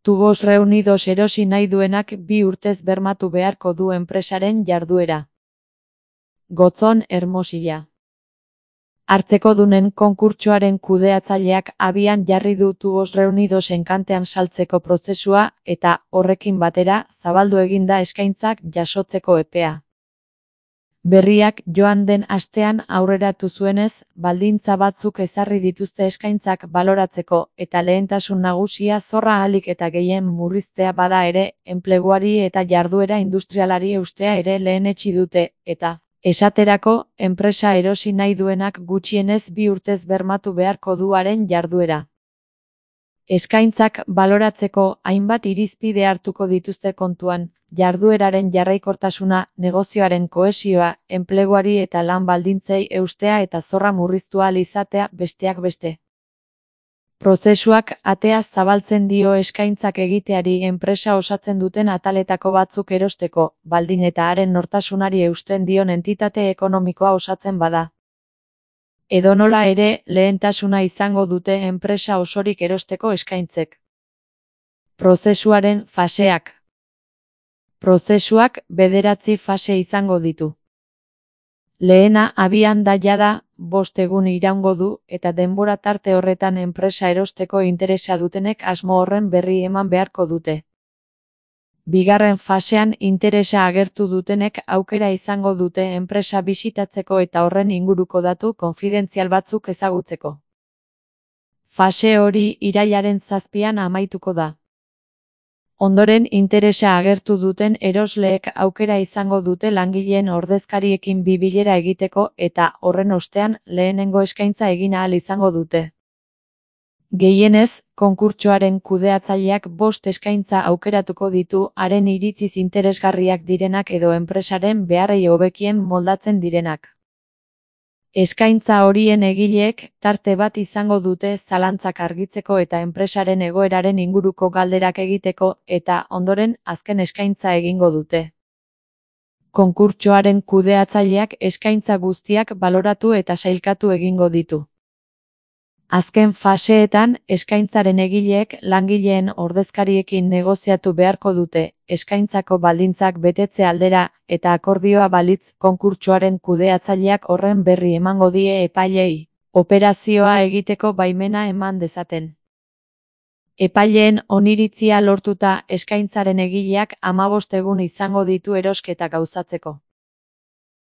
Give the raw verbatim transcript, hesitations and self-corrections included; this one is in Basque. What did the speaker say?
Tubos Reunidos erosi nahi duenak bi urtez bermatu beharko du enpresaren jarduera. Gotzon, Hermosilla. Hartzekodunen konkurtsoaren kudeatzaileak abian jarri du Tubos Reunidos enkantean saltzeko prozesua eta, horrekin batera, zabaldu egin da eskaintzak jasotzeko epea. Berriak joan den astean aurreratu zuenez, baldintza batzuk ezarri dituzte eskaintzak baloratzeko eta lehentasun nagusia zorra ahalik eta gehien murriztea bada ere, enpleguari eta jarduera industrialari eustea ere lehenetsi dute, eta, esaterako, enpresa erosi nahi duenak gutxienez bi urtez bermatu beharko du haren jarduera. Eskaintzak baloratzeko hainbat irizpide hartuko dituzte kontuan, jardueraren jarraikortasuna, negozioaren kohesioa, enpleguari eta lan baldintzei eustea eta zorra murriztu ahal izatea besteak beste. Prozesuak atea zabaltzen dio eskaintzak egiteari enpresa osatzen duten ataletako batzuk erosteko, baldin eta haren nortasunari eusten dion entitate ekonomikoa osatzen bada. Edonola ere, lehentasuna izango dute enpresa osorik erosteko eskaintzek. Prozesuaren faseak. Prozesuak bederatzi fase izango ditu. Lehena abian da jada, bost egun iraungo du eta denbora tarte horretan enpresa erosteko interesa dutenek asmo horren berri eman beharko dute. Bigarren fasean interesa agertu dutenek aukera izango dute enpresa bisitatzeko eta horren inguruko datu konfidentzial batzuk ezagutzeko. Fase hori irailaren zazpian amaituko da. Ondoren interesa agertu duten erosleek aukera izango dute langileen ordezkariekin bi bilera egiteko eta horren ostean lehenengo eskaintza egin ahal izango dute. Gehienez, konkurtsoaren kudeatzaileak bost eskaintza aukeratuko ditu haren iritziz interesgarriak direnak edo enpresaren beharrei hobekien moldatzen direnak. Eskaintza horien egileek tarte bat izango dute zalantzak argitzeko eta enpresaren egoeraren inguruko galderak egiteko eta ondoren azken eskaintza egingo dute. Konkurtsoaren kudeatzaileak eskaintza guztiak baloratu eta sailkatu egingo ditu. Azken faseetan, eskaintzaren egileek langileen ordezkariekin negoziatu beharko dute, eskaintzako baldintzak betetze aldera eta akordioa balitz konkurtsoaren kudeatzaileak horren berri emango die epaileei, operazioa egiteko baimena eman dezaten. Epaileen oniritzia lortuta eskaintzaren egileak hamabost egun izango ditu erosketa gauzatzeko.